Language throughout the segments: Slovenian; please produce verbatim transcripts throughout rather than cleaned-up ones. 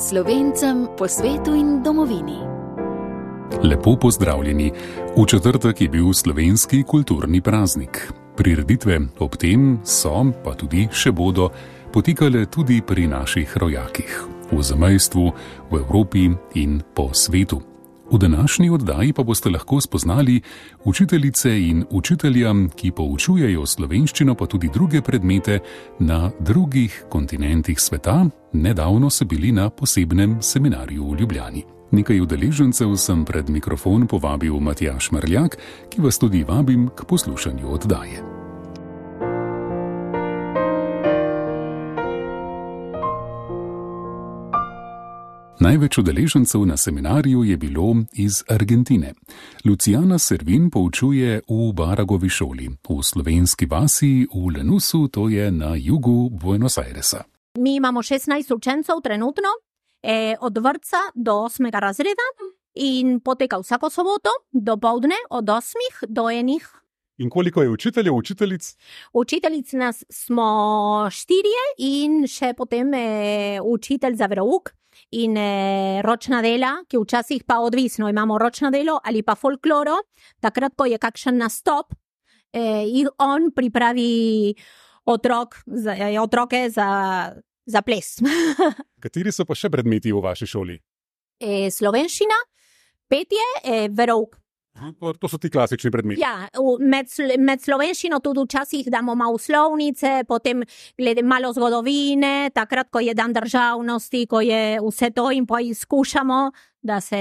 Slovencem po svetu in domovini. Lepo pozdravljeni. V četrtek je bil slovenski kulturni praznik. Prireditve ob tem so, pa tudi še bodo, potekale tudi pri naših rojakih, v zamejstvu, v Evropi in po svetu. V današnji oddaji pa boste lahko spoznali učiteljice in učitelja, ki poučujejo slovenščino pa tudi druge predmete na drugih kontinentih sveta. Nedavno so bili na posebnem seminarju v Ljubljani. Nekaj udeležencev sem pred mikrofon povabil Matjaž Marljak, ki vas tudi vabim k poslušanju oddaje. Največ udeležencev na seminarju je bilo iz Argentine. Luciana Servin poučuje v Baragovi šoli, v slovenski vasi v Lanusu, to je na jugu Buenos Airesa. Mi imamo šestnajst učencev trenutno, eh, od vrtca do osmega razreda in poteka vsako soboto do povdne od osmih do enih. In koliko je učiteljev, učiteljic? Učiteljic nas smo štirje in še potem eh, učitelj za verouk. In eh, ročna dela, ki včasih pa odvisno, imamo ročno delo ali pa folkloro, takrat, ko je kakšen nastop, eh, in on pripravi otrok, za, otroke za, za ples. Kateri so pa še predmeti v vaši šoli? Eh, slovenščina, petje, eh, verouk. To, to so ti klasični predmeti. Ja, med, med slovenščino tudi včasih damo malo slovnice, potem glede malo zgodovine, takrat, ko je dan državnosti, ko je vse to in poizkušamo, da se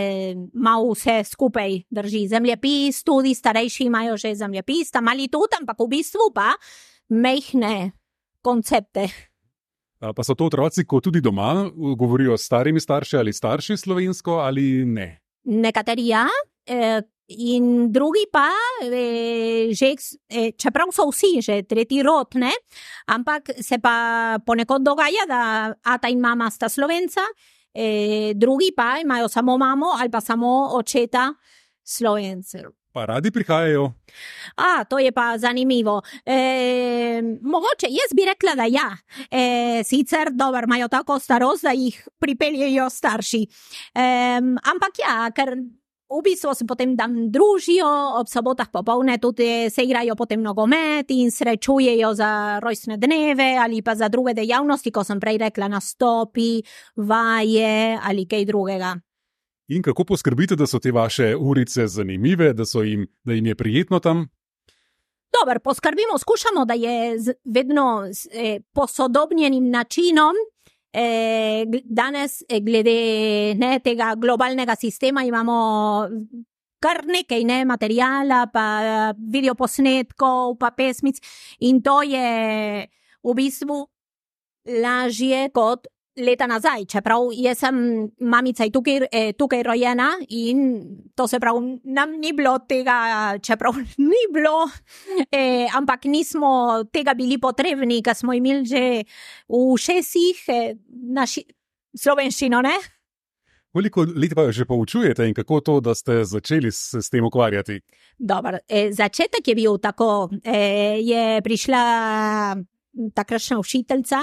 malo vse skupaj drži. Zemljepis, tudi starejši imajo že zemljepis, tam mali tudi, ampak v bistvu pa mehne koncepte. A pa so to otroci, ko tudi doma govorijo s starimi starši ali starši slovensko ali ne? Nekateri ja, eh, in drugi pa, eh, že, eh, čeprav so vsi že tretji rod, ne, ampak se pa ponekod dogaja, da ata in mama sta Slovenca, eh, drugi pa imajo samo mamo ali pa samo očeta Slovencev. Pa radi prihajajo? A, to je pa zanimivo. E, mogoče, jaz bi rekla, da ja. E, sicer, dober, imajo tako starost, da jih pripeljejo starši. E, ampak ja, ker v bistvu se potem tam družijo, ob sobotah popoldne tudi se igrajo potem nogomet in srečujejo za rojstne dneve ali pa za druge dejavnosti, ko sem prej rekla, nastopi, vaje ali kaj drugega. In kako poskrbite, da so te vaše urice zanimive, da, so jim, da jim je prijetno tam? Dobar, poskrbimo, skušamo, da je z, vedno z eh, posodobnjenim načinom. Eh, danes, eh, glede ne, tega globalnega sistema, imamo kar nekaj ne, materijala, pa videoposnetkov, pa pesmic in to je v bistvu lažje kot leta nazaj, čeprav jaz sem mamica in tukaj, eh, tukaj rojena in to se pravi, nam ni bilo tega, čeprav ni bilo, eh, ampak nismo tega bili potrebni, ker smo imeli že v šestih eh, naši slovenščino, ne? Koliko let pa že poučujete in kako to, da ste začeli s, s tem ukvarjati? Dobar, eh, začetek je bil tako, eh, je prišla takrašna učiteljica,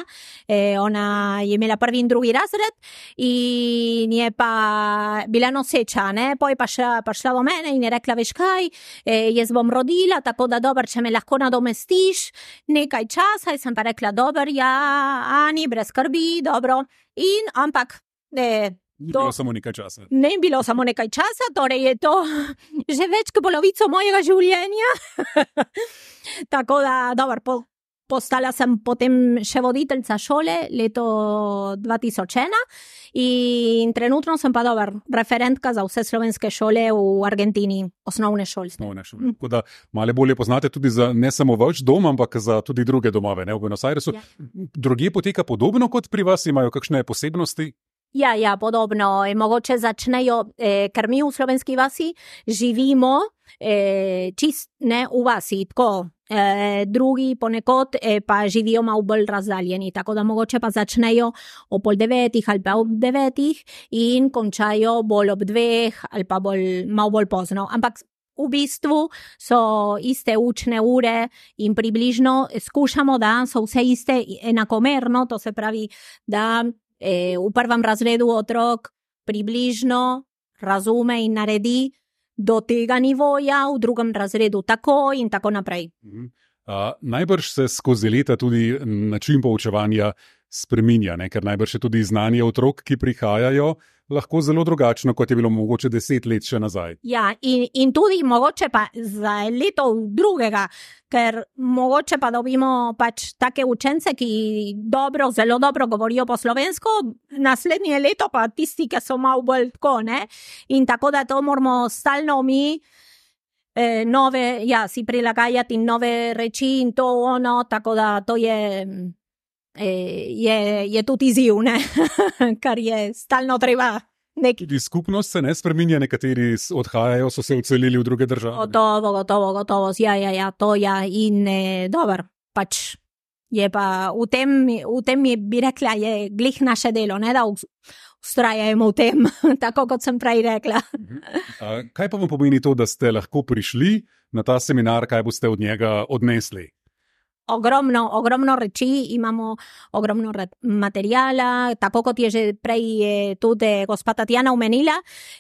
eh, ona je imela prvi in drugi razred in je pa bila noseča, ne, poj pa še prišla do mene in je rekla, veš kaj, eh, jaz bom rodila, tako da dober, če me lahko nadomestiš nekaj časa, in sem pa rekla, dober, ja, Ani, brez skrbi, dobro, in ampak, eh, Ni bilo samo nekaj časa. Ne bilo samo nekaj časa, torej je to že več kot polovico mojega življenja. Tako da, dober, po Postala sem potem še voditeljca šole leto dva tisoč ena in trenutno sem pa dober referentka za vse slovenske šole v Argentini, osnovne šole. Osnovne šole. Tako da malo bolje poznate tudi za ne samo vaš dom, ampak za tudi druge domove, ne, v Buenos Airesu. Ja. Drugje poteka podobno kot pri vas, imajo kakšne posebnosti? Ja, ja, podobno. E, mogoče začnejo, e, ker mi v slovenski vasi živimo e, čist ne v vasi, tako. E, drugi ponekod e, pa živijo malo bolj razdaljeni, tako da mogoče pa začnejo o pol devetih ali pa ob devetih in končajo bolj ob dveh ali pa bolj, malo bolj pozno. Ampak v bistvu so iste učne ure in približno skušamo, da so vse iste enakomerno, to se pravi, da e, v prvem razredu otrok približno razume in naredi do tega nivoja, v drugem razredu tako in tako naprej. Uh, najbrž se skozi leta tudi način poučevanja spreminja, ne? Ker najbrž je tudi znanje otrok, ki prihajajo, lahko zelo drugačno, kot je bilo mogoče deset let še nazaj. Ja, in, in tudi mogoče pa za leto drugega, ker mogoče pa dobimo pač take učence, ki dobro, zelo dobro govorijo po slovensko, naslednje leto pa tisti, ki so malo bolj tako, ne? In tako da to moramo stalno mi eh, nove, ja, si prilagajati nove reči in to ono, tako da to je... Je, je tudi izziv, ne? Kar je stalno treba. Nek... Tudi skupnost se ne spreminja, nekateri odhajajo, so se odselili v druge države. Gotovo, gotovo, gotovo, ja, ja, ja, to ja, in eh, dober, pač je pa v tem, v tem je, bi rekla, je glih naše delo, ne, da ustrajamo v tem, tako kot sem prej rekla. A, kaj pa vam pomeni to, da ste lahko prišli na ta seminar, kaj boste od njega odnesli? Ogromno, ogromno reči, imamo ogromno materijala, tako kot je že prej je tudi gospa Tatjana omenila,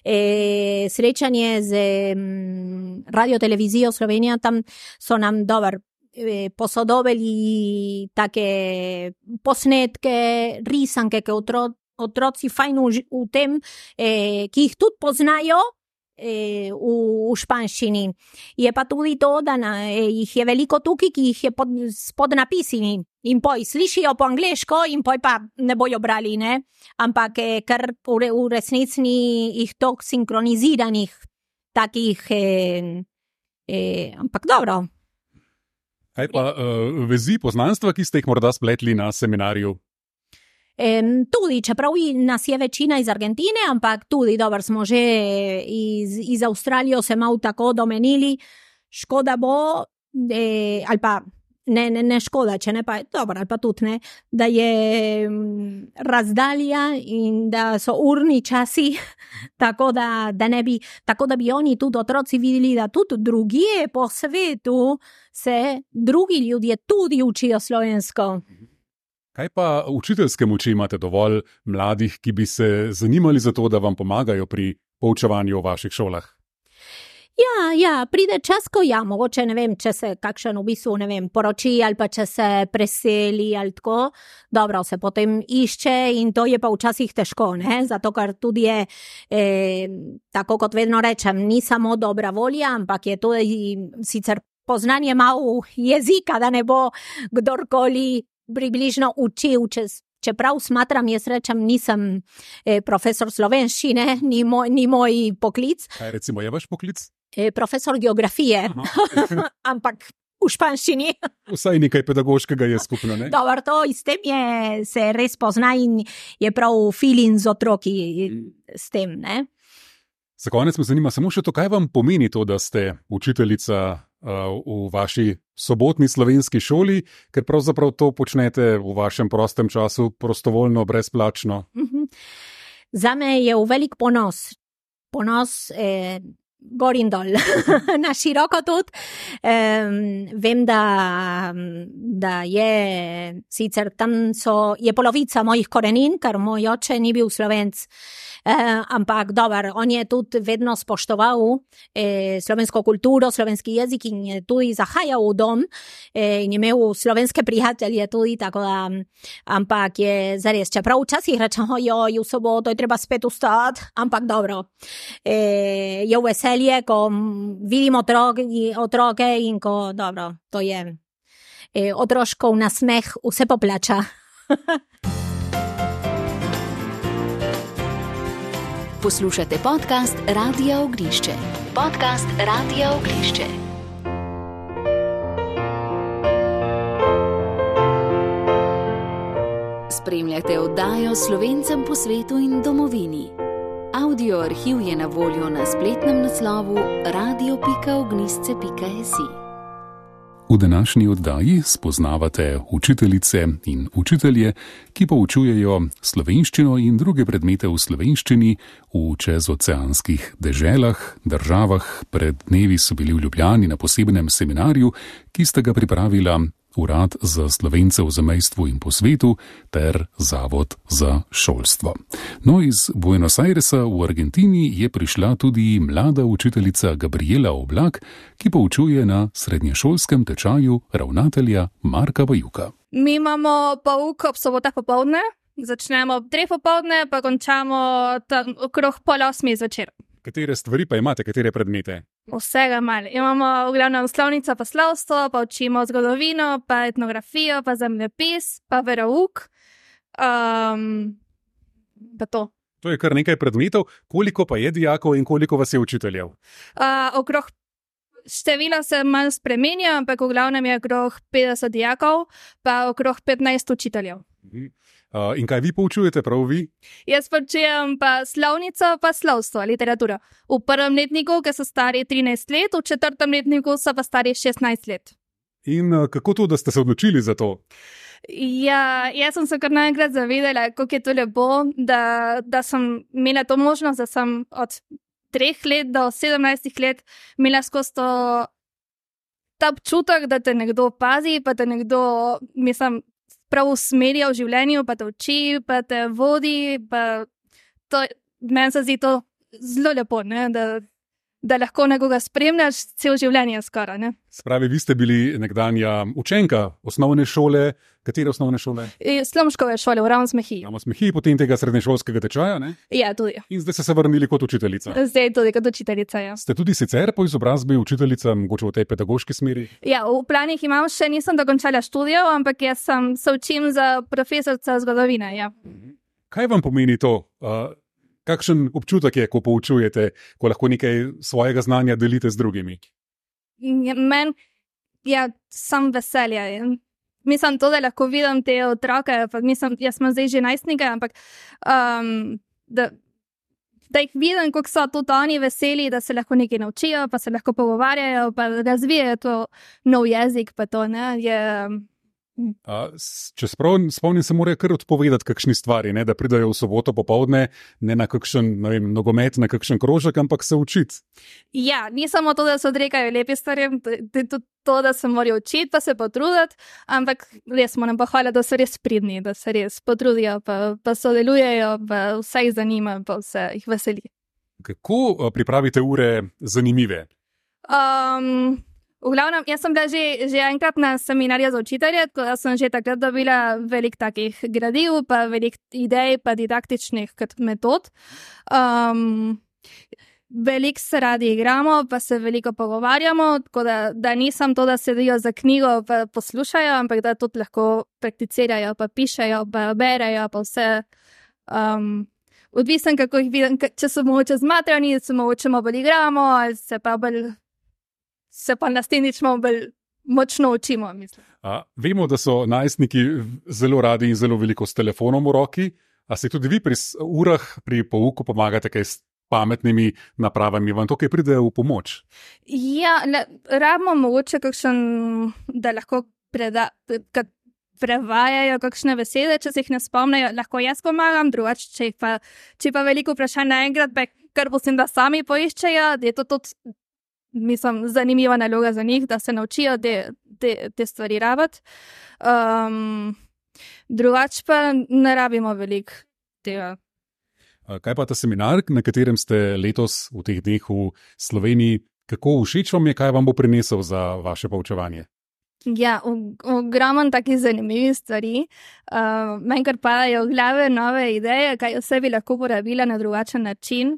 e, srečanje z m, Radio Televizijo Slovenija, tam so nam dober e, posodobili take posnetke, risanke, ki otro, otroci fajn v, v tem, e, ki jih tudi poznajo, v, v španščini. Je pa tudi to, da na, jih je veliko tukaj, ki jih je pod, pod napisimi in poj slišijo po angleško in poj pa ne bojo brali, ne? Ampak ker v, v resnici jih tok sinkroniziranih takih, eh, eh, ampak dobro. Kaj pa uh, vezi poznanstva, ki ste jih morda spletli na seminarju? Um, tudi, čeprav nas je večina iz Argentine, ampak tudi, dobro, smo že iz, iz Avstralijo se malo tako domenili, škoda bo, eh, ali pa ne, ne, ne škoda, če ne pa, dobro, ali pa tudi ne, da je um, razdalja in da so urni časi, tako da, da ne bi, tako da bi oni tudi otroci videli, da tudi drugje po svetu se drugi ljudje tudi učijo slovensko. Kaj pa učiteljske moči imate dovolj mladih, ki bi se zanimali za to, da vam pomagajo pri poučevanju v vaših šolah? Ja, ja, pride čas, ko ja, mogoče ne vem, če se kakšen v bistvu, ne vem, poroči ali pa če se preseli ali tako, dobro, se potem išče in to je pa včasih težko, ne, zato ker tudi je, eh, tako kot vedno rečem, ni samo dobra volja, ampak je tudi sicer poznanje malo jezika, da ne bo kdorkoli približno učil, če, čeprav smatram, jaz rečem, nisem eh, profesor slovenščine, ni moj, ni moj poklic. Kaj recimo je vaš poklic? Eh, profesor geografije, ampak v španščini. Vsaj nekaj pedagoškega je skupno, ne? Dobar, to s tem je, se res pozna in je prav feeling z otroki s tem, ne? Za konec me zanima samo še to, kaj vam pomeni to, da ste učiteljica v vaši sobotni slovenski šoli, ker pravzaprav to počnete v vašem prostem času prostovoljno, brezplačno. Mm-hmm. Zame je v velik ponos. Ponos eh, gor in dol. Na široko tudi. Eh, vem, da, da je sicer tam so, je polovica mojih korenin, ker moj oče ni bil Slovenc. Eh, ampak dober, on je tudi vedno spoštoval eh, slovensko kulturo, slovenski jezik in je tudi zahajal v dom eh, in je imel slovenske prijatelje tudi, tako da, ampak je zares, čeprav včasih rečem, ojoj, v soboto je treba spet vstati, ampak dobro, eh, je veselje, ko vidim otroke, otroke in ko, dobro, to je eh, otroškov nasmeh, vse poplača. Poslušate podcast Radia Ognišče. Podcast Radia Ognišče. Spremljate oddajo Slovencem po svetu in domovini. Audio arhiv je na voljo na spletnem naslovu radio pika ognisce pika si. V današnji oddaji spoznavate učiteljice in učitelje, ki poučujejo slovenščino in druge predmete v slovenščini v čezoceanskih deželah, državah. Pred dnevi so bili v Ljubljani na posebnem seminarju, ki sta ga pripravila Urad za Slovence v zamejstvu in po svetu ter Zavod za šolstvo. No, iz Buenos Airesa v Argentini je prišla tudi mlada učiteljica Gabriela Oblak, ki poučuje na srednješolskem tečaju ravnatelja Marka Bajuka. Mi imamo pouk ob sobotah popoldne, začnemo ob treh popoldne, pa končamo tam okrog pol osmih zvečer. Katere stvari pa imate, katere predmete? Vsega malo. Imamo v glavnem slovnico pa slovstvo, pa učimo zgodovino, pa etnografijo, pa zemljepis, pa verouk. Um, pa to. To je kar nekaj predmetov. Koliko pa je dijakov in koliko vas je učiteljev? Uh, okrog števila se malo spremenja, ampak v glavnem je okrog petdeset dijakov, pa okrog petnajst učiteljev. Mhm. Uh, in kaj vi poučujete, prav vi? Jaz poučujem pa slovnico, pa slovstvo, literaturo. V prvem letniku, ki so stari trinajst let, v četrtem letniku so pa stari šestnajst let. In uh, kako to, da ste se odločili za to? Ja, jaz sem se kar naenkrat zavedala, kako je to lepo, da, da sem imela to možnost, da sem od treh let do sedemnajstih let imela skozi to ta občutek, da te nekdo pazi, pa te nekdo, mislim, prav usmerja v življenju, pa te uči, pa te vodi, pa to, meni se zdi to zelo lepo, ne? Da, da lahko nekoga spremljaš cel življenje skoraj, ne? Spravi, vi ste bili nekdanja učenka osnovne šole, katere osnovne šole? Slomškove šole v Ravnsmehiji. Ravnsmehiji, potem tega srednješolskega tečaja, ne? Ja, tudi. In zdaj ste se vrnili kot učiteljica. Zdaj tudi kot učiteljica, ja. Ste tudi sicer po izobrazbi učiteljica, mogoče v tej pedagoški smeri? Ja, v planih imam, še nisem dokončala študijev, ampak jaz sem, se učim za profesorca zgodovine, ja. Kaj vam pomeni to? Uh, kakšen občutek je, ko poučujete, ko lahko nekaj svojega znanja delite z drugimi? Ja, men, ja, sem veselja. Mislim to, da lahko vidim te otroke, pa mislim, jaz sem zdaj že najstnika, ampak um, da, da jih vidim, kako so tudi oni veseli, da se lahko nekaj naučijo, pa se lahko pogovarjajo, pa razvijajo to nov jezik, pa to, ne, je... A, če sprav, spomnim, se morajo kar odpovedati kakšni stvari, ne, da pridajo v soboto popovdne, ne na kakšen, ne vem, nogomet, na kakšen krožek, ampak se učiti. Ja, ni samo to, da se odrekajo lepi stvari, tudi to, da se morajo učiti, pa se potruditi, ampak res moram pohvaliti, da so res pridni, da se res potrudijo, pa, pa sodelujejo, pa vse jih zanima, pa vse jih veseli. Kako pripravite ure zanimive? Um, V glavnem, jaz sem bila že, že enkrat na seminarju za učitelje, tako da sem že takrat dobila veliko takih gradiv, pa veliko idej, pa didaktičnih metod. Um, veliko se radi igramo, pa se veliko pogovarjamo, tako da, da nisem to, da sedijo za knjigo pa poslušajo, ampak da tudi lahko prakticirajo, pa pišejo, pa berejo, pa vse. Um, odvisen, kako jih vidim, če so mogoče zmatrani, se mogoče bolj igramo, ali se pa bolj... se pa naslednjično bolj močno učimo, mislim. A, vemo, da so najstniki zelo radi in zelo veliko s telefonom v roki. A se tudi vi pri urah, pri pouku pomagate kaj s pametnimi napravami? Vam to kaj pride v pomoč? Ja, le, rabimo mogoče kakšen, da lahko preda, kad prevajajo kakšne besede, če se jih ne spomnejo, lahko jaz pomagam, drugače, če pa, če pa veliko vprašanj naenkrat, kar posim, da sami poiščejo, je to tudi mislim, zanimiva naloga za njih, da se naučijo te, te, te stvari rabiti. Um, drugače pa ne rabimo veliko tega. Kaj pa ta seminar, na katerem ste letos v teh dneh v Sloveniji, kako všeč vam je, kaj vam bo prinesel za vaše poučevanje? Ja, ogromno takih zanimivih stvari. Uh, meni kar padajo v glave nove ideje, kaj vse bi lahko porabila na drugačen način.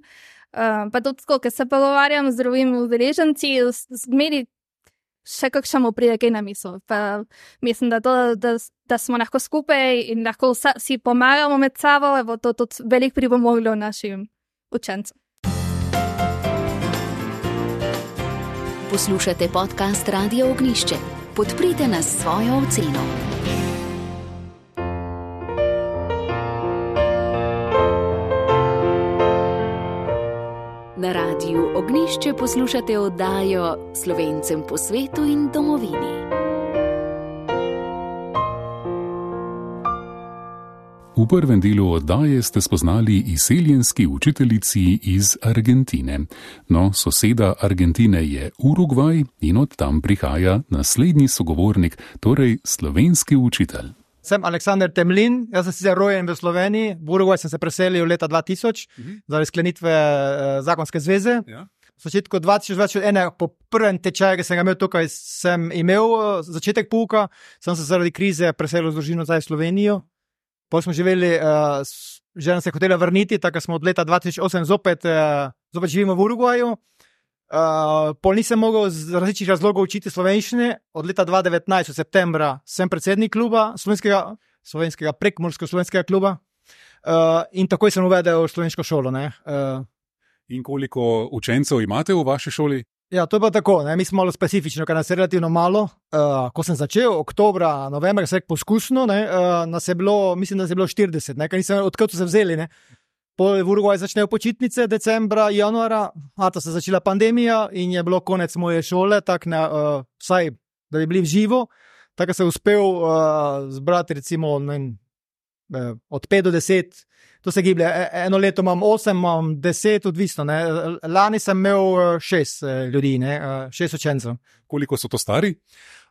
Uh, pa tudi tako, ker se pogovarjam z drugimi udeleženci, zmeri še kakšen mu pride kaj na misel. Pa mislim, da, to, da, da smo lahko skupaj in lahko vsa, si pomagamo med sabo, bo to tudi veliko pripomoglo našim učencem. Poslušate podcast Radio Ognjišče. Podprite nas s svojo oceno. Na Radiu Ognjišče poslušate oddajo Slovencem po svetu in domovini. V prvem delu oddaje ste spoznali izseljenski učiteljici iz Argentine. No, soseda Argentine je Urugvaj in od tam prihaja naslednji sogovornik, torej slovenski učitelj. Sem Aleksander Temlin, jaz sem sicer rojen v Sloveniji, v Urugvaj sem se preselil leta dva tisoč, uh-huh. zaradi sklenitve uh, zakonske zveze. Ja. V začetku dva tisoč ena, po prvem tečaju, ki sem ga imel tukaj, sem imel uh, začetek pouka, sem se zaradi krize preselil z družino nazaj v Slovenijo. Potem smo živeli, uh, žena se je hotela vrniti, tako smo od leta dva tisoč osem zopet, uh, zopet živimo v Urugvaju. Uh, pol nisem mogel z različnih razlogov učiti slovenščine. Od leta dva tisoč devetnajst, od septembra, sem predsednik kluba, slovenskega, slovenskega prekmursko-slovenskega kluba uh, in takoj sem uvedel slovensko šolo. Ne? Uh, in koliko učencev imate v vaši šoli? Ja, to je pa tako, ne? Mi smo malo specifično, ker nas je relativno malo. Uh, ko sem začel, oktobra, novembra, se je poskusno, ne? Uh, nas je bilo, mislim, da nas je bilo štirideset, ne? Ker nisem, odkud so se vzeli, ne? Po Urugvaju začnejo počitnice, decembra, januara, a ta se je začela pandemija in je bilo konec moje šole, tako ne, uh, vsaj, da bi bili v živo, tako sem uspel uh, zbrati recimo ne, uh, od pet do deset. To se giblje, eno leto imam osem, imam deset, odvisno. Ne. Lani sem imel šest ljudi, ne, šest učencev. Koliko so to stari?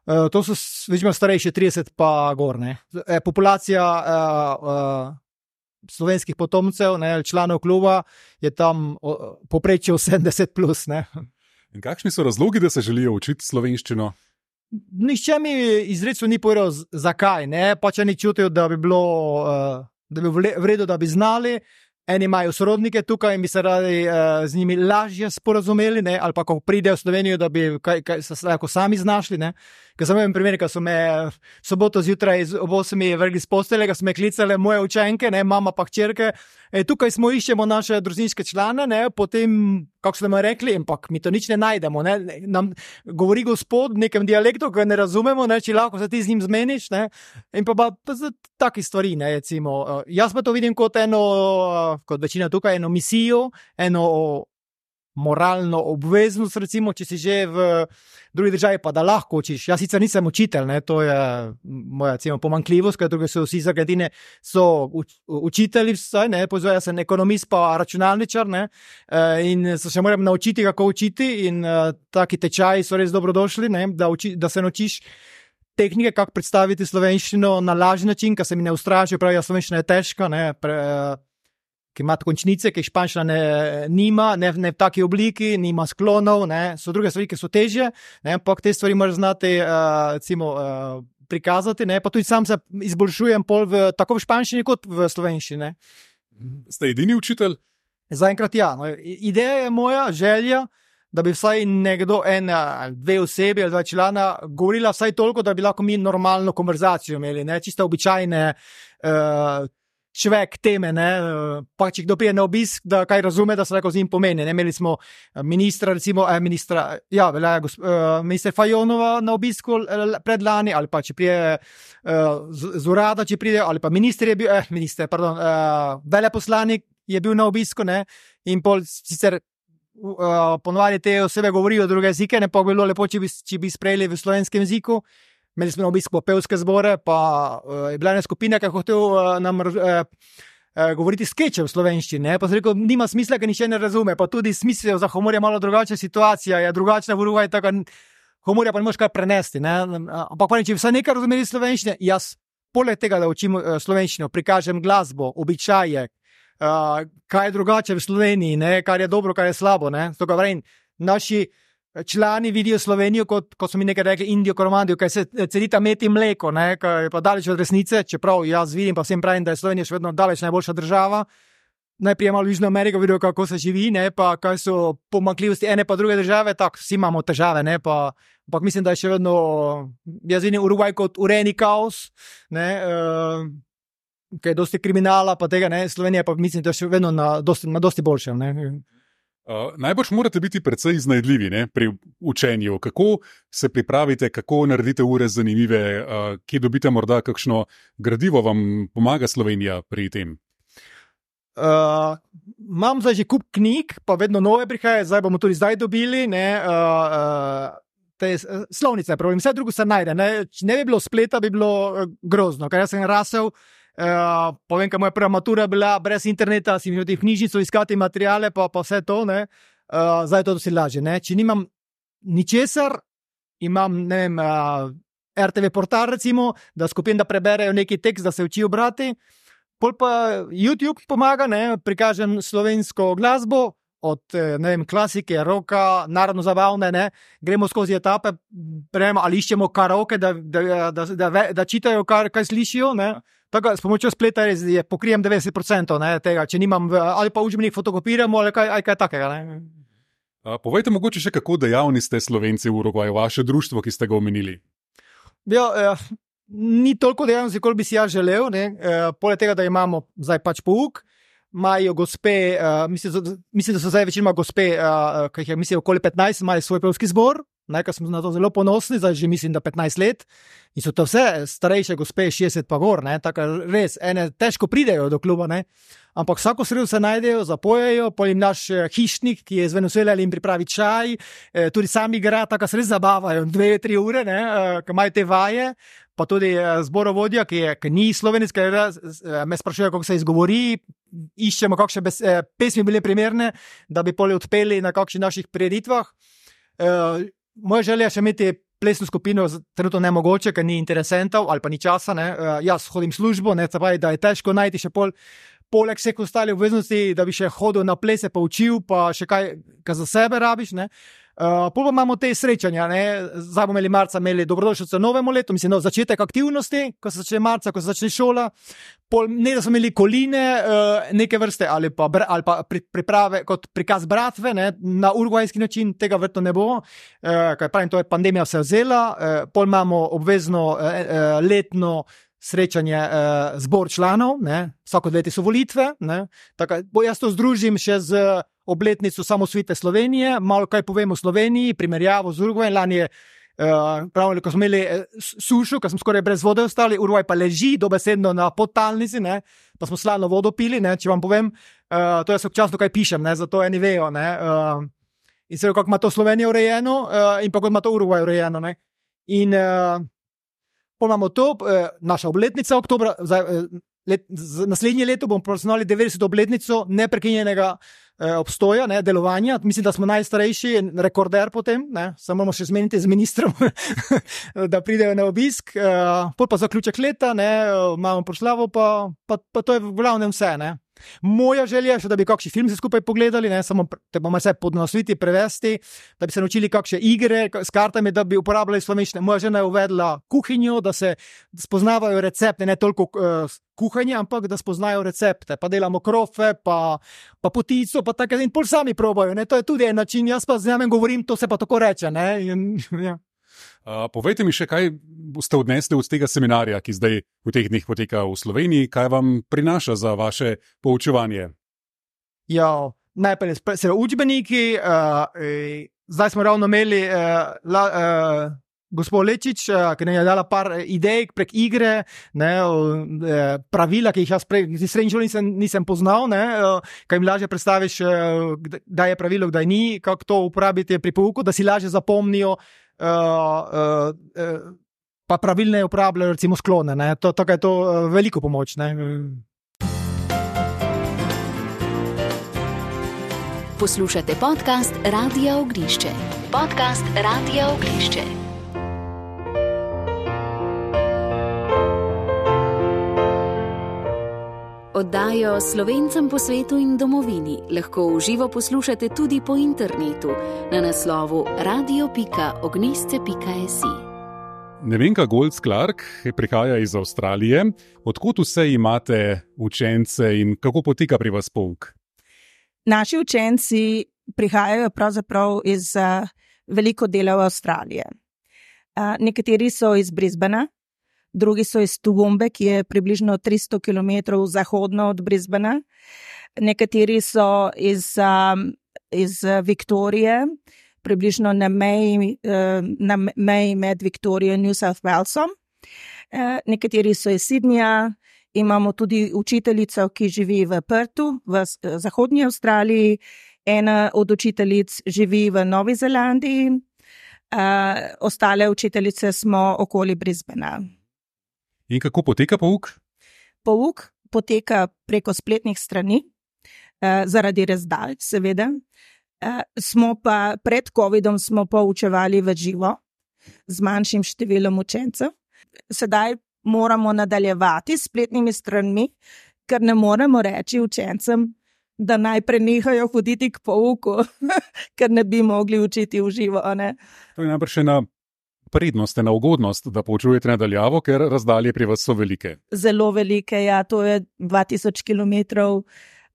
Uh, to so večino starejši, trideset pa gor. Ne. Populacija uh, uh, slovenskih potomcev, ne, članov kluba, je tam uh, poprečje sedemdeset plus. Ne. In kakšni so razlogi, da se želijo učiti slovenščino? Nihče mi izrecno ni povedal, zakaj. Ne. Pač ni čutil, da bi bilo... Uh, da bi v redu, da bi znali. Eni imajo sorodnike tukaj in bi se radi uh, z njimi lažje sporazumeli, ne? Ali pa ko pridejo v Slovenijo, da bi kaj, kaj, se lahko sami znašli. Ne? Ker sem imel primer, ko so me soboto zjutraj ob osmi vrgli z postelje, ko so me klicale moje učenke, ne? Mama pa hčerke. E, tukaj smo iščemo naše družinske člane, ne? Potem, kako so nam rekli, ampak mi to nič ne najdemo. Ne? Nam govori gospod v nekem dialektu, ko ne razumemo, ne? Če lahko se ti z njim zmeniš. Ne? In pa, pa, pa za taki stvari, ne? Recimo, uh, jaz pa to vidim kot eno, uh, kot večina tukaj, eno misijo, eno moralno obveznost, recimo, če si že v drugi državi, pa da lahko učiš. Jaz sicer nisem učitelj, ne? To je moja recimo, pomanjkljivost, ker druge so vsi iz Argentine so uč, učitelji, vsaj, ne? Pozvaj, jaz sem ekonomist pa računalničar, ne? E, in se še moram naučiti, kako učiti in uh, taki tečaji so res dobrodošli, ne? Da, uči, da se naučiš tehnike, kako predstaviti slovenščino na lažji način, ker se mi ne ustrašijo, pravi, ja, slovenščina je težka, ne? Pre, ki ima končnice, ki španščina ne, nima, ne, ne v taki obliki, nima sklonov, ne, so druge stvari, ki so težje, ne, ampak te stvari moraš znati uh, recimo, uh, prikazati, ne, pa tudi sam se izboljšujem pol v, tako v španščini kot v slovenščini. Ste edini učitelj? Zaenkrat ja. No, ideja je moja, želja, da bi vsaj nekdo, ena ali dve osebi ali dva člana govorila vsaj toliko, da bi lahko mi normalno konverzacijo imeli, ne, čisto običajne uh, človek teme, ne, pa če kdo prije na obisk, da kaj razume, da se lahko z njim pomeni. Ne, imeli smo ministra, recimo, eh, ministra, ja, velja, gosp, uh, minister Fajonova na obisku predlani, ali pa če prije uh, z, z urada, če pride, ali pa minister je bil, eh, minister, pardon, uh, veleposlanik je bil na obisku, ne, in pol sicer uh, ponovadi te osebe govorijo druge jezike, ne, pa bi bilo lepo, če bi, če bi sprejeli v slovenskem jeziku. Imeli smo na obisku pevske zbore, pa uh, je bila ena skupina, ki je hotel uh, nam uh, uh, govoriti skeče v slovenščini. Pa sem rekel, nima smisla, ker nišče ne razume. Pa tudi smisel za humor je malo drugačna situacija, je drugačna v Urugvaju, tako humorja pa ne moreš kar prenesti. Ne? Ampak pa ne, če bi vsaj nekaj razumeli slovenščine, jaz poleg tega, da učim uh, slovenščino, prikažem glasbo, običaje, uh, kaj je drugače v Sloveniji, ne? Kar je dobro, kar je slabo. Ne? Stoga vrem, naši člani vidijo Slovenijo kot, kot so mi nekaj rekli, Indijo, Koromandijo, kaj se cedita med in mleko, ne, kaj je pa daleč od resnice, čeprav jaz vidim, pa vsem pravim, da je Slovenija še vedno daleč najboljša država. Najprej malo v Južno Ameriko vidijo, kako se živi, ne, pa kaj so pomanjkljivosti ene pa druge države, tako vsi imamo težave, ne, pa, ampak mislim, da je še vedno, jaz vidim Urugvaj kot urejeni kaos, ne, uh, kaj je dosti kriminala, pa tega, ne, Slovenija pa mislim, da je še vedno na dosti, na dosti boljšem, ne. Uh, najbolj morate biti precej iznajdljivi, ne, pri učenju. Kako se pripravite, kako naredite ure zanimive, uh, kje dobite morda kakšno gradivo, vam pomaga Slovenija pri tem? Uh, imam zdaj že kup knjig, pa vedno nove prihajajo, zdaj bomo tudi zdaj dobili, ne, uh, uh, te slovnice, problem, vse drugo se najde, ne, če ne bi bilo spleta, bi bilo uh, grozno, ker jaz sem rasel Uh, povem, ker moja prva matura bila brez interneta, si imel v knjižnico iskati materiale, pa, pa vse to, ne. Uh, zdaj je to dosti lažje, ne. Če nimam ničesar, imam, ne vem, uh, R T V portal recimo, da skupim, da preberejo neki tekst, da se učijo brati. Pol pa YouTube pomaga, ne, prikažem slovensko glasbo, od, ne vem, klasike, roka, narodno zabavne, ne, gremo skozi etape, prejemo, ali iščemo karaoke, da, da, da, da, da, da čitajo, kar, kaj slišijo, ne. Tako, s pomočjo spleta res je, pokrijem devetdeset procentov, ne, tega, če nimam, ali pa učbenik fotokopiramo, ali kaj, ali kaj takega, ne. A, povejte mogoče še, kako dejavni ste Slovenci v Urugvaju, vaše društvo, ki ste ga omenili. Ja, eh, ni toliko dejavnosti, koliko bi si jaz želel, ne, eh, poleg tega, da imamo zdaj pač pouk, imajo gospe, uh, mislim, mislim, da so zdaj večinoma gospe, uh, ki jih je, mislim, okoli petnajst, imajo svoj pevski zbor, nekaj smo na to zelo ponosni, zdaj že mislim, da petnajst let, in so to vse starejše gospe, šestdeset pa gor, ne, tako res, ene težko pridejo do kluba, ne, ampak vsako sredo se najdejo, zapojejo, potem naš hišnik, ki je z Venezuele, jim pripravi čaj, eh, tudi sami igra, tako se res zabavajo, dve, tri ure, ne, eh, ko imajo te vaje, pa tudi zborovodja, ki, je, ki ni slovenec, ki me sprašuje, kako se izgovori, iščemo, kakšne bes, pesmi bile primerne, da bi poli odpeli na kakšnih naših prireditvah. E, moja želja je še imeti plesno skupino, trenutno nemogoče, ker ni interesentov ali pa ni časa. Ne. E, jaz hodim službo, ne, pravi, da je težko najti še pol, poleg vseh ostalih obveznosti, da bi še hodil na plese, pa učil, pa še kaj, kaj za sebe rabiš, ne. Uh, pol pa imamo te srečanja, ne, zdaj bomo imeli marca, imeli dobrodošlico novemu letu, mislim, no, začetek aktivnosti, ko se začne marca, ko se začne šola, pol, ne da smo imeli koline, uh, neke vrste, ali pa, ali pa pri, priprave kot prikaz bratve, ne, na urugvajski način, tega vrtno ne bo, uh, kaj pravim, to je pandemija vse vzela, uh, pol imamo obvezno uh, uh, letno srečanje uh, zbor članov, ne, vsako leti so volitve, ne, tako, jaz to združim še z obletnico samosvite Slovenije, malo kaj povemo o Sloveniji, primerjavo z Urugvajem. Lani je, uh, pravili, ko smo imeli sušo, ko smo skoraj brez vode ostali, Urugvaj pa leži dobesedno na podtalnici, ne, pa smo sladno vodo pili, ne, če vam povem, uh, to jaz občasno kaj pišem, ne, zato eni vejo, ne, uh, in se kako ima to Slovenija urejeno, uh, in pa kot ima to Urugvaj urejeno, ne, in uh, pol imamo to, uh, naša obletnica oktobra, zdaj, uh, let, z, naslednje leto bomo praznovali devetdeseto obletnico neprekinjenega obstoja, ne, delovanja. Mislim, da smo najstarejši, rekorder potem, ne, samo moramo še zmeniti z ministrom, da pridejo na obisk. Uh, pol pa zaključek leta, ne, imamo proslavo, pa, pa, pa to je v glavnem vse, ne. Moja želja je še, da bi kakšni film se skupaj pogledali, ne, samo te bomo vse podnosviti, prevesti, da bi se naučili kakšne igre s kartami, da bi uporabljali slovenščino. Moja žena je uvedla kuhinjo, da se spoznavajo recepte, ne toliko uh, kuhanje, ampak da spoznajo recepte. Pa delamo krofe, pa, pa potico, pa tako, in pol sami probajo, ne, to je tudi en način, jaz pa z njim govorim, to se pa tako reče, ne, in, ja. Uh, povejte mi še, kaj ste odnesli od tega seminarja, ki zdaj v teh dneh poteka v Sloveniji, kaj vam prinaša za vaše poučevanje? Ja, najprej se učbeniki, uh, eh, zdaj smo ravno imeli uh, la, uh, gospod Lečič, uh, ki nam je dala par idej prek igre, ne, uh, pravila, ki jih jaz prej v srednji šoli nisem, nisem poznal, ne, uh, kaj jim lažje predstaviš, uh, kdaj je pravilo, kdaj ni, kako to uporabiti pri pouku, da si lažje zapomnijo, Uh, uh, uh, pa pravilne uporabljajo recimo sklone, ne? To, tako je to uh, veliko pomoč, ne? Poslušate podcast Radia Ognišče. Podcast Radia Ognišče. Oddajo Slovencem po svetu in domovini lahko v živo poslušate tudi po internetu na naslovu radio pika ognisce pika si. Nevenka Golc-Clark prihaja iz Avstralije. Odkot vse imate učence in kako poteka pri vas pouk? Naši učenci prihajajo pravzaprav iz uh, veliko delov Avstralije. Uh, nekateri so iz Brisbana, drugi so iz Toowoombe, ki je približno tristo kilometrov zahodno od Brisbana. Nekateri so iz, um, iz Viktorije, približno na meji, uh, na meji med Viktorijo in New South Walesom. Uh, nekateri so iz Sydneyja, imamo tudi učiteljico, ki živi v Perthu, v uh, zahodnji Avstraliji. Ena od učiteljic živi v Novi Zelandiji, uh, ostale učiteljice smo okoli Brisbana. In kako poteka pouk? Pouk poteka preko spletnih strani, uh, zaradi razdalj, seveda. Uh, smo pa pred covidom smo poučevali v živo z manjšim številom učencev. Sedaj moramo nadaljevati s spletnimi stranmi, ker ne moremo reči učencem, da naj prenehajo hoditi k pouku, ker ne bi mogli učiti v živo. Ne? To je najbrž ena prednost, ena ugodnost, da poučujete nadaljavo, ker razdalje pri vas so velike. Zelo velike, ja, to je dva tisoč kilometrov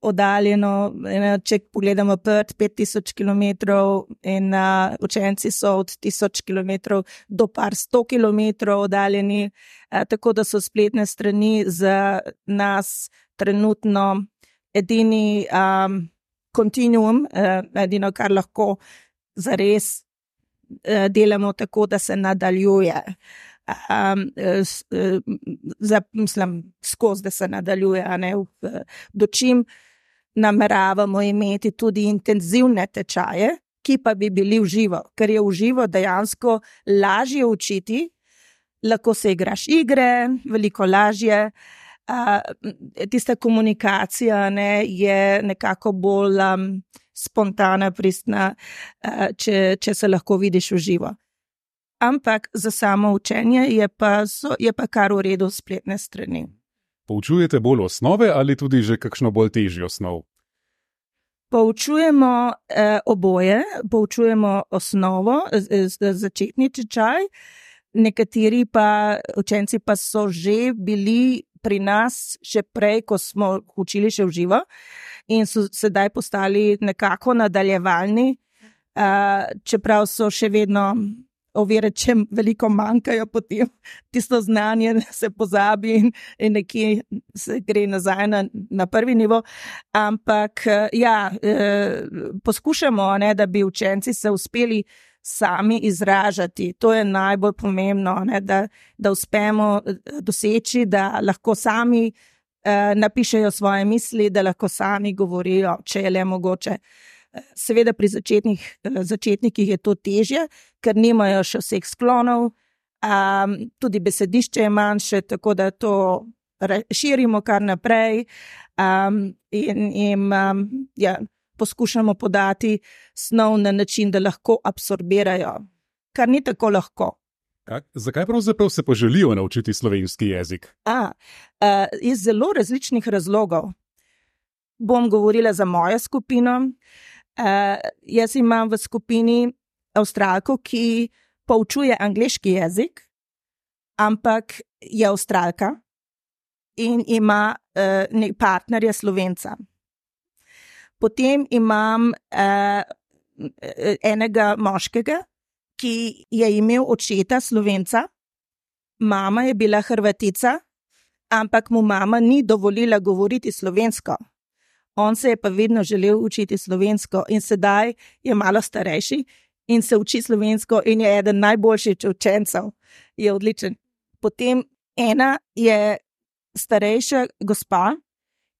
oddaljeno, če pogledamo Perth, pet tisoč kilometrov in uh, učenci so od tisoč kilometrov do par sto kilometrov oddaljeni, uh, tako da so spletne strani za nas trenutno edini um, kontinuum, uh, edino, kar lahko zares uh, delamo tako, da se nadaljuje. Um, s, uh, za, mislim, skozi, da se nadaljuje, a ne v, dočim nameravamo imeti tudi intenzivne tečaje, ki pa bi bili v živo, ker je v živo dejansko lažje učiti, lahko se igraš igre, veliko lažje. Uh, tista komunikacija ne, je nekako bolj um, spontana, pristna, uh, če, če se lahko vidiš v živo. Ampak za samo učenje je pa, so, je pa kar v redu spletne strani. Poučujete bolj osnove ali tudi že kakšno bolj težjo osnov? Poučujemo eh, oboje, poučujemo osnovo, z, z, začetni tečaj, nekateri pa učenci pa so že bili pri nas še prej, ko smo učili še v živo in so sedaj postali nekako nadaljevalni, eh, čeprav so še vedno ovire, če veliko manjkajo, potem tisto znanje se pozabi in, in nekje se gre nazaj na, na prvi nivo. Ampak ja, eh, poskušamo, ne, da bi učenci se uspeli sami izražati. To je najbolj pomembno, ne, da, da uspemo doseči, da lahko sami eh, napišejo svoje misli, da lahko sami govorijo, če je le mogoče. Seveda pri začetnih, začetnikih je to težje, ker nimajo še vseh sklonov, um, tudi besedišče je manjše, tako da to širimo kar naprej um, in jim um, ja, poskušamo podati snov na način, da lahko absorbirajo, kar ni tako lahko. Kak, zakaj pravzaprav se pa želijo naučiti slovenski jezik? A, uh, iz zelo različnih razlogov. Bom govorila za mojo skupino. Uh, jaz imam v skupini Avstralko, ki poučuje angleški jezik, ampak je Avstralka in ima uh, partnerja Slovenca. Potem imam uh, enega moškega, ki je imel očeta Slovenca, mama je bila Hrvatica, ampak mu mama ni dovolila govoriti slovensko. On se je pa vedno želel učiti slovensko in sedaj je malo starejši in se uči slovensko in je eden najboljših učencev. Je odličen. Potem ena je starejša gospa,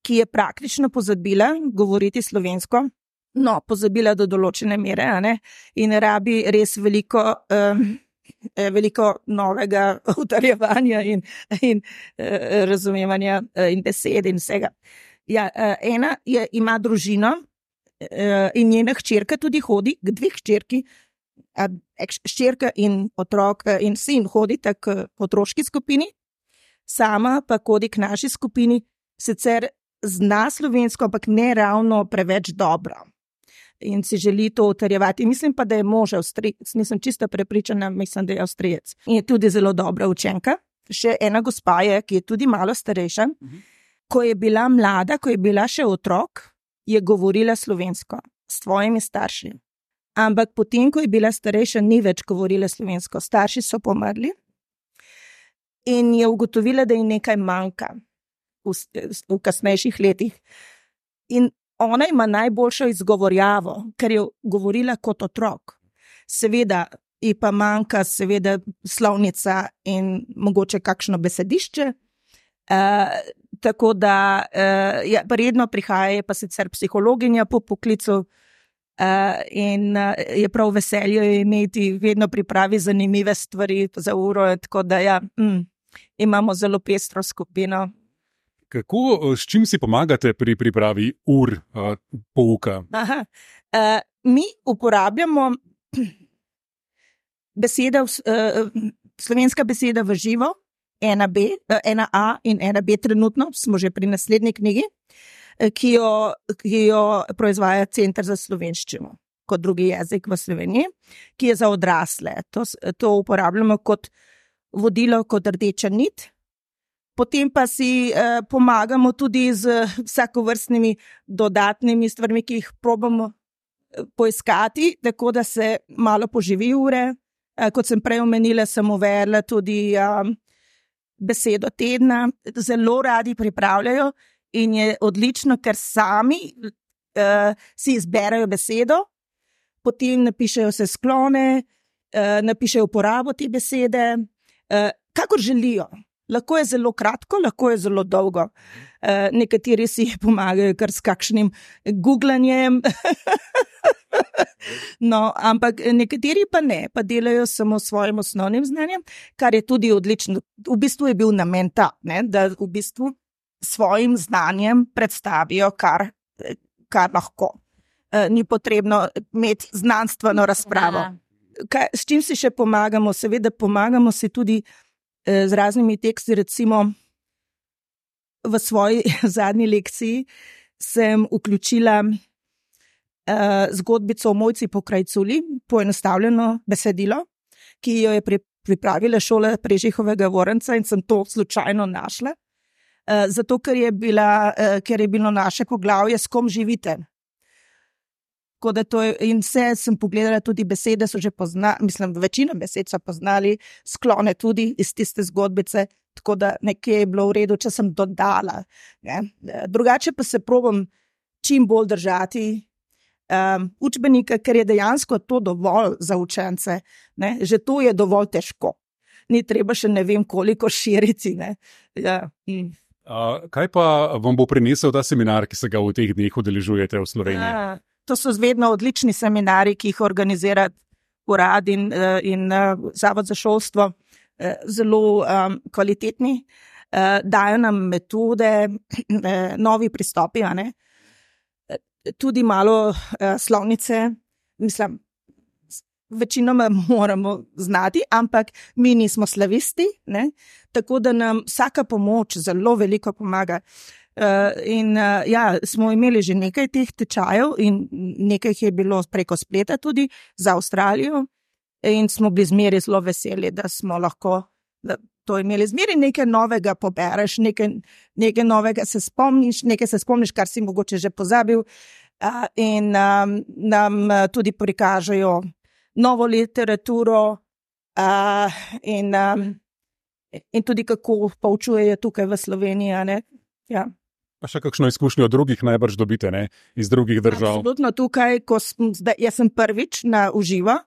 ki je praktično pozabila govoriti slovensko, no, pozabila do določene mere, a ne, in rabi res veliko, um, veliko novega utrjevanja in, in uh, razumevanja uh, in besed in vsega. Ja, ena je, ima družino in njena hčerka tudi hodi, dve hčerki, hčerka in otrok in sin hodita k otroški skupini, sama pa hodi k naši skupini, sicer zna slovensko, ampak ne ravno preveč dobro in si želi to utrjevati. Mislim pa, da je mož Avstrijec, nisem čisto prepričana, mislim, da je Avstrijec. In je tudi zelo dobra učenka. Še ena gospa je, ki je tudi malo starejša. Mhm. Ko je bila mlada, ko je bila še otrok, je govorila slovensko s svojimi starši. Ampak potem, ko je bila starejša, ni več govorila slovensko. Starši so pomrli in je ugotovila, da ji nekaj manjka v, v kasnejših letih. In ona ima najboljšo izgovorjavo, ker je govorila kot otrok. Seveda ji pa manjka seveda slovnica in mogoče kakšno besedišče. Uh, tako da uh, ja, redno prihaja, pa sicer psihologinja po poklicu uh, in uh, je prav veselje imeti, vedno pripravi zanimive stvari za uro, tako da ja, mm, imamo zelo pestro skupino. Kako, s čim si pomagate pri pripravi ur uh, pouka? Aha. Uh, mi uporabljamo beseda, uh, slovenska beseda v živo, ena B, uh, ena A in ena B trenutno, smo že pri naslednji knjigi, uh, ki, jo, ki jo proizvaja Center za slovenščino kot drugi jezik v Sloveniji, ki je za odrasle. To, to uporabljamo kot vodilo, kot rdeča nit. Potem pa si eh, pomagamo tudi z vsakovrstnimi dodatnimi stvarmi, ki jih probamo poiskati, tako da se malo poživi ure. Eh, kot sem prej omenila, sem uvedla tudi um, besedo tedna. Zelo radi pripravljajo in je odlično, ker sami eh, si izberajo besedo, potem napišejo se sklone, eh, napišejo uporabo te besede, eh, kakor želijo. Lahko je zelo kratko, lahko je zelo dolgo. Eh, nekateri si pomagajo kar s kakšnim googlanjem, no, ampak nekateri pa ne, pa delajo samo s svojim osnovnim znanjem, kar je tudi odlično. V bistvu je bil namen ta, ne, da v bistvu svojim znanjem predstavijo, kar, kar lahko. Ni potrebno imeti znanstveno razpravo. Kaj, s čim si še pomagamo? Seveda pomagamo si tudi eh, z raznimi teksti, recimo v svoji zadnji lekciji sem vključila eh, zgodbico o Mojci Pokrajculi, poenostavljeno besedilo, ki jo je pri, pripravila šola Prežihovega Voranca in sem to slučajno našla, eh, zato ker je, bila, eh, ker je bilo naše poglavje S kom živite. Tako da to je, in vse sem pogledala, tudi besede so že poznali, mislim, večina besed so poznali, sklone tudi iz tiste zgodbice, tako da nekje je bilo v redu, če sem dodala. Ne. Drugače pa se probam čim bolj držati um, učbenika, ker je dejansko to dovolj za učence. Ne. Že to je dovolj težko. Ni treba še ne vem koliko širiti. Ne. Ja. Mm. A, kaj pa vam bo prinesel ta seminar, ki se ga v teh dneh udeležujete v Sloveniji? Ja. To so vedno odlični seminari, ki jih organizira urad in, in Zavod za šolstvo, zelo um, kvalitetni, uh, dajo nam metode, novi pristopi, a ne? Tudi malo uh, slovnice, mislim, večinoma moramo znati, ampak mi nismo slavisti, ne? Tako da nam vsaka pomoč zelo veliko pomaga. Uh, in uh, ja, smo imeli že nekaj teh tečajev in nekaj je bilo preko spleta tudi za Avstralijo in smo bili zmeri zelo veseli, da smo lahko da to imeli. Zmeri nekaj novega pobereš, nekaj, nekaj novega se spomniš, nekaj se spomniš, kar si mogoče že pozabil uh, in um, nam uh, tudi prikažejo novo literaturo uh, in, um, in tudi kako poučujejo tukaj v Sloveniji, a ne? Ja. Pa še kakšno izkušnjo od drugih najbrž dobite, ne? Iz drugih držav. Absolutno tukaj, ko sem, zdaj, jaz sem prvič na uživo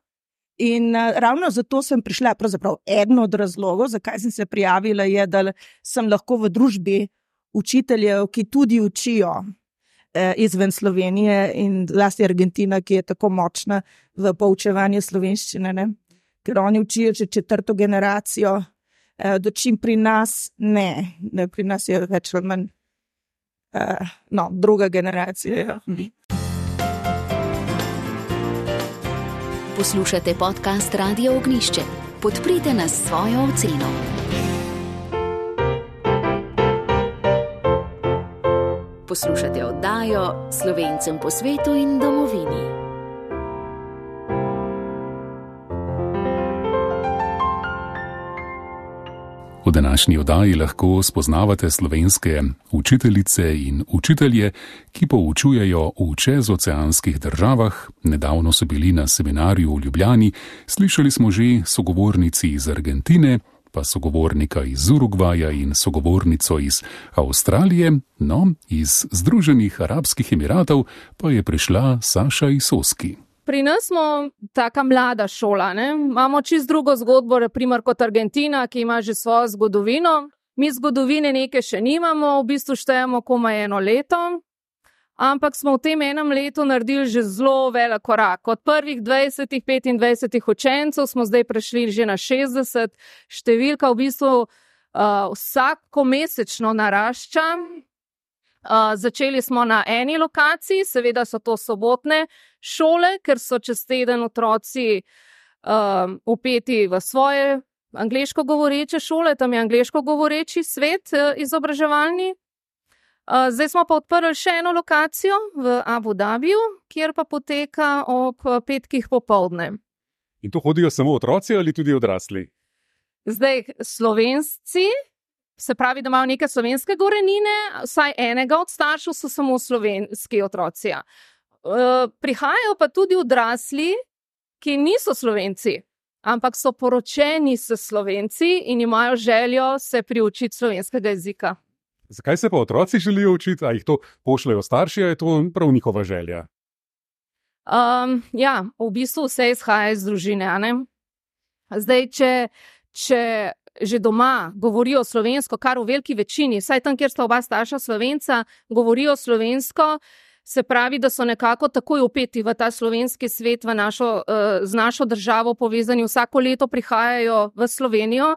in uh, ravno zato sem prišla, pravzaprav eden od razlogov, zakaj sem se prijavila, je, da sem lahko v družbi učiteljev, ki tudi učijo eh, izven Slovenije in zlasti Argentina, ki je tako močna v poučevanju slovenščine, ne? Ker oni učijo že četrto generacijo, eh, dočim pri nas ne, ne, pri nas je več ali manj Uh, no, druga generacija. Ja. Poslušate podcast Radio Ognjišče. Podprite nas s svojo oceno. Poslušate oddajo Slovencem po svetu in domovini. V današnji oddaji lahko spoznavate slovenske učiteljice in učitelje, ki poučujejo v čezoceanskih državah. Nedavno so bili na seminarju v Ljubljani, slišali smo že sogovornici iz Argentine, pa sogovornika iz Urugvaja in sogovornico iz Avstralije, no, iz Združenih arabskih emiratov pa je prišla Saša Isoski. Pri nas smo taka mlada šola, ne? Imamo čist drugo zgodbo, naprimer kot Argentina, ki ima že svojo zgodovino. Mi zgodovine neke še nimamo, v bistvu štejemo komaj eno leto, ampak smo v tem enem letu naredili že zelo velik korak. Od prvih dvajsetih, petindvajsetih učencev smo zdaj prešli že na šestdeset, številka v bistvu uh, vsako mesečno narašča. Uh, začeli smo na eni lokaciji, seveda so to sobotne šole, ker so čez teden otroci uh, upeti v svoje angleško govoreče šole, tam je angleško govoreči svet uh, izobraževalni. Uh, zdaj smo pa odprli še eno lokacijo v Abu Dhabiju, kjer pa poteka ob petkih popoldne. In to hodijo samo otroci ali tudi odrasli? Zdaj Slovenci, se pravi, da imajo neke slovenske korenine, vsaj enega od staršev so samo slovenski otroci. Uh, prihajajo pa tudi odrasli, ki niso Slovenci, ampak so poročeni s Slovenci in imajo željo se priučiti slovenskega jezika. Zakaj se pa otroci želijo učiti? A jih to pošljajo starši, a je to prav njihova želja? Um, ja, v bistvu vse izhaja iz družine. A ne? Zdaj, če, če že doma govorijo slovensko, kar v veliki večini, vsaj tam, kjer sta oba starša Slovenca, govorijo slovensko, se pravi, da so nekako takoj upeti v ta slovenski svet, v našo, z našo državo povezani, vsako leto prihajajo v Slovenijo,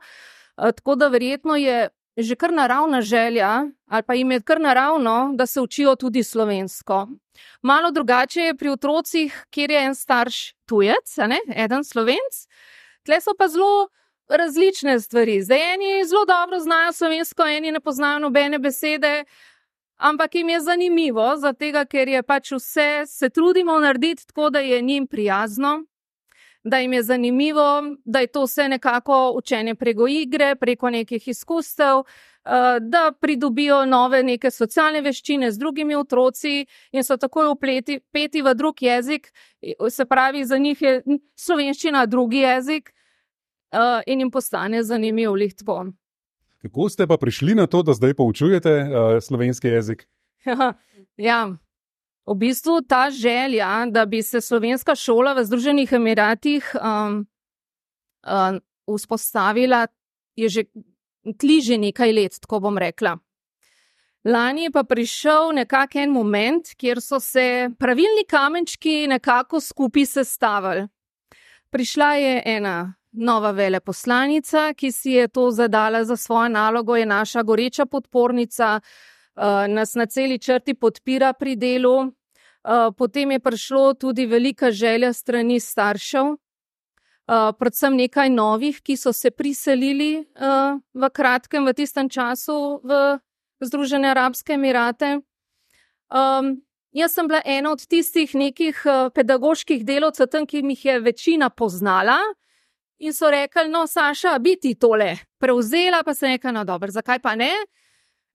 tako da verjetno je že kar naravna želja, ali pa jim je kar naravno, da se učijo tudi slovensko. Malo drugače je pri otrocih, kjer je en starš tujec, a ne, eden Slovenc, tle so pa zelo različne stvari. Zdaj eni zelo dobro znajo slovensko, eni ne poznajo nobene besede, ampak jim je zanimivo, zato ker je pač vse, se trudimo narediti tako, da je njim prijazno, da jim je zanimivo, da je to vse nekako učenje preko igre, preko nekih izkustev, da pridobijo nove neke socialne veščine z drugimi otroci in so takoj vpleti, peti v drug jezik, se pravi, za njih je slovenščina drugi jezik in jim postane zanimiv lihtvo. Kako ste pa prišli na to, da zdaj poučujete uh, slovenski jezik? Ja, v bistvu ta želja, da bi se slovenska šola v Združenih Emiratih um, um, vzpostavila, je že tli že nekaj let, tako bom rekla. Lani je pa prišel nekak en moment, kjer so se pravilni kamenčki nekako skupaj sestavili. Prišla je ena nova veleposlanica, ki si je to zadala za svojo nalogo, je naša goreča podpornica, nas na celi črti podpira pri delu. Potem je prišlo tudi velika želja strani staršev, predvsem nekaj novih, ki so se priselili v kratkem, v tistem času v Združene Arabske Emirate. Jaz sem bila ena od tistih nekih pedagoških delavcev tam, ki jih je večina poznala, in so rekli, no, Saša, bi ti tole prevzela, pa sem rekla, no, dobro, zakaj pa ne?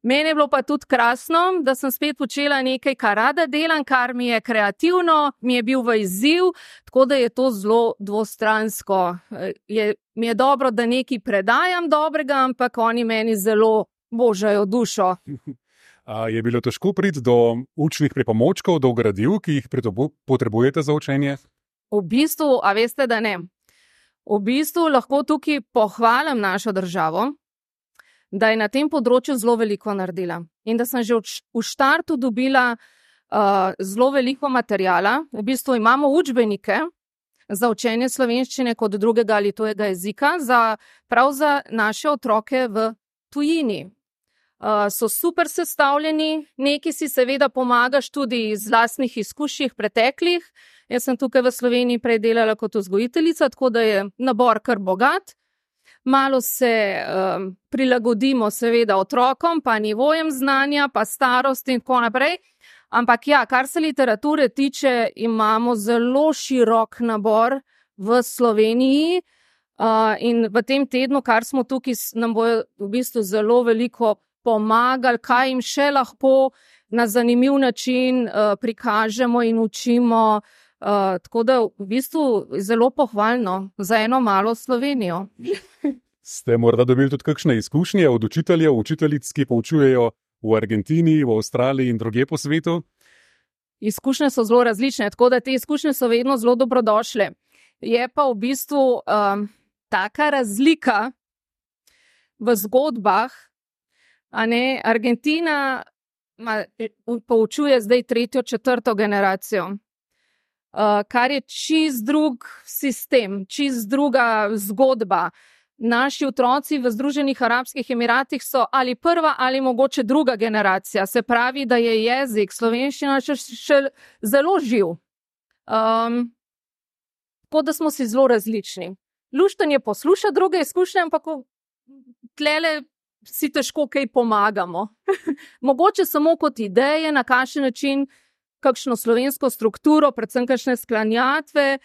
Mene je bilo pa tudi krasno, da sem spet počela nekaj, kar rada delam, kar mi je kreativno, mi je bil v izziv, tako da je to zelo dvostransko. Je, mi je dobro, da nekaj predajam dobrega, ampak oni meni zelo božajo dušo. A je bilo težko priti do učnih pripomočkov, do gradiv, ki jih potrebujete za učenje? V bistvu, a veste, da ne. V bistvu lahko tukaj pohvalim našo državo, da je na tem področju zelo veliko naredila in da sem že v štartu dobila uh, zelo veliko materijala. V bistvu imamo učbenike za učenje slovenščine kot drugega ali tujega jezika, za, prav za naše otroke v tujini. Uh, so super sestavljeni, neki si seveda pomagaš tudi iz lastnih izkušnjih preteklih. Jaz sem tukaj v Sloveniji prej delala kot vzgojiteljica, tako da je nabor kar bogat. Malo se um, prilagodimo seveda otrokom, pa nivojem znanja, pa starosti in tako naprej. Ampak ja, kar se literature tiče, imamo zelo širok nabor v Sloveniji uh, in v tem tednu, kar smo tukaj, nam bo v bistvu zelo veliko pomagali, kaj jim še lahko na zanimiv način uh, prikažemo in učimo. Uh, tako da v bistvu zelo pohvalno za eno malo Slovenijo. Ste morda dobili tudi kakšne izkušnje od učiteljev, učiteljic, ki poučujejo v Argentini, v Avstraliji in drugje po svetu? Izkušnje so zelo različne, tako da te izkušnje so vedno zelo dobrodošle. Je pa v bistvu um, taka razlika v zgodbah, a ne, Argentina ma, poučuje zdaj tretjo, četrto generacijo. Uh, kar je čist drug sistem, čist druga zgodba. naši otroci v Združenih arabskih emiratih so ali prva ali mogoče druga generacija. Se pravi, da je jezik slovenščina še, še zelo živ. Um, tako da smo si zelo različni. Lušten je poslušati druge izkušnje, ampak tlele si težko kaj pomagamo. Mogoče samo kot ideje, na kakšen način, kakšno slovensko strukturo, predvsem kakšne sklanjatve,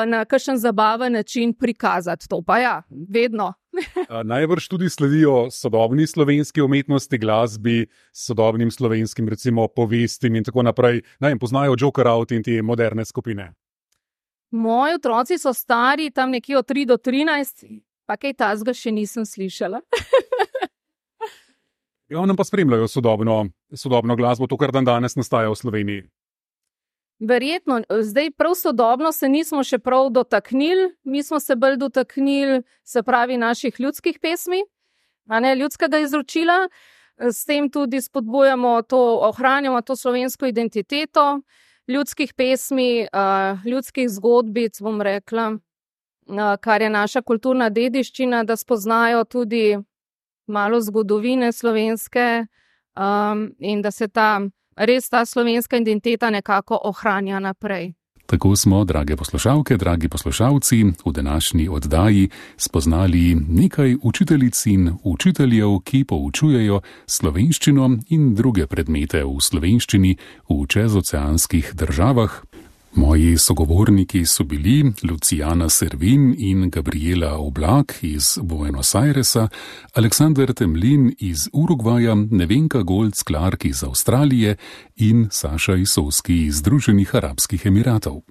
na kakšen zabaven način prikazati. To pa ja, vedno. Najbrž tudi sledijo sodobni slovenski umetnosti, glasbi, sodobnim slovenskim, recimo, povestim in tako naprej. Ne vem, poznajo Joker Out in te moderne skupine. Moji otroci so stari, tam nekje od tri do trinajst, pa kaj tazga še nisem slišala. Ja, nam pa spremljajo sodobno, sodobno glasbo, to, kar dan danes nastaja v Sloveniji. Verjetno, zdaj prav sodobno se nismo še prav dotaknili, mi smo se bolj dotaknili, se pravi, naših ljudskih pesmi, a ne ljudskega izročila, s tem tudi spodbujamo to, ohranjamo to slovensko identiteto, ljudskih pesmi, ljudskih zgodbic, bom rekla, kar je naša kulturna dediščina, da spoznajo tudi malo zgodovine slovenske um, in da se ta, res ta slovenska identiteta nekako ohranja naprej. Tako smo, drage poslušalke, dragi poslušalci, v današnji oddaji spoznali nekaj učiteljic in učiteljev, ki poučujejo slovenščino in druge predmete v slovenščini v čezoceanskih državah. Moji sogovorniki so bili Luciana Servin in Gabriela Oblak iz Buenos Airesa, Aleksander Temlin iz Urugvaja, Nevenka Golc-Clark iz Avstralije in Saša Isovski iz Združenih arabskih emiratov.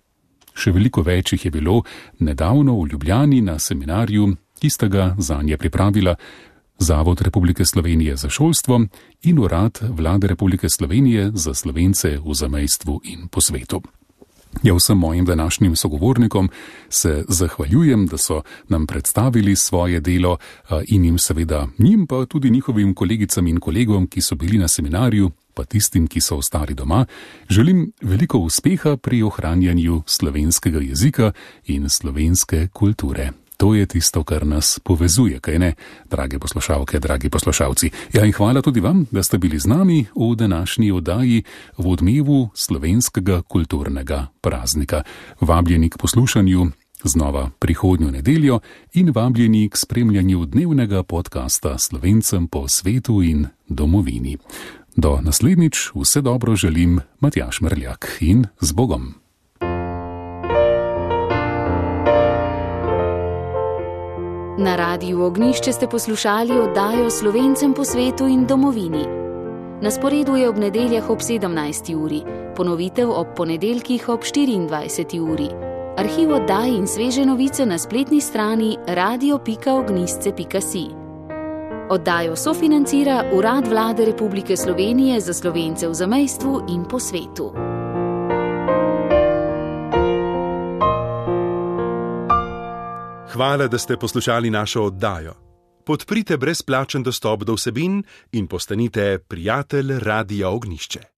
Še veliko več jih je bilo nedavno v Ljubljani na seminarju, ki sta ga zanje pripravila Zavod Republike Slovenije za šolstvo in Urad Vlade Republike Slovenije za Slovence v zamejstvu in po svetu. Ja, vsem mojim današnjim sogovornikom se zahvaljujem, da so nam predstavili svoje delo in jim seveda, njim pa tudi njihovim kolegicam in kolegom, ki so bili na seminarju, pa tistim, ki so ostali doma, želim veliko uspeha pri ohranjanju slovenskega jezika in slovenske kulture. To je tisto, kar nas povezuje, kaj ne, drage poslušalke, dragi poslušalci. Ja, in hvala tudi vam, da ste bili z nami v današnji oddaji v odmevu slovenskega kulturnega praznika. Vabljeni k poslušanju znova prihodnjo nedeljo in vabljeni k spremljanju dnevnega podcasta Slovencem po svetu in domovini. Do naslednjič vse dobro želim, Matjaž Mrljak, in z Bogom. Na Radiu Ognjišče ste poslušali oddajo Slovencem po svetu in domovini. Na sporedu je ob nedeljah ob sedemnajsti uri, ponovitev ob ponedeljkih ob štiriindvajseti uri. Arhiv oddaj in sveže novice na spletni strani radio pika ognjisce pika si. Oddajo sofinancira Urad Vlade Republike Slovenije za Slovence v zamejstvu in po svetu. Hvala, da ste poslušali našo oddajo. Podprite brezplačen dostop do vsebin in postanite prijatelj Radia Ognjišče.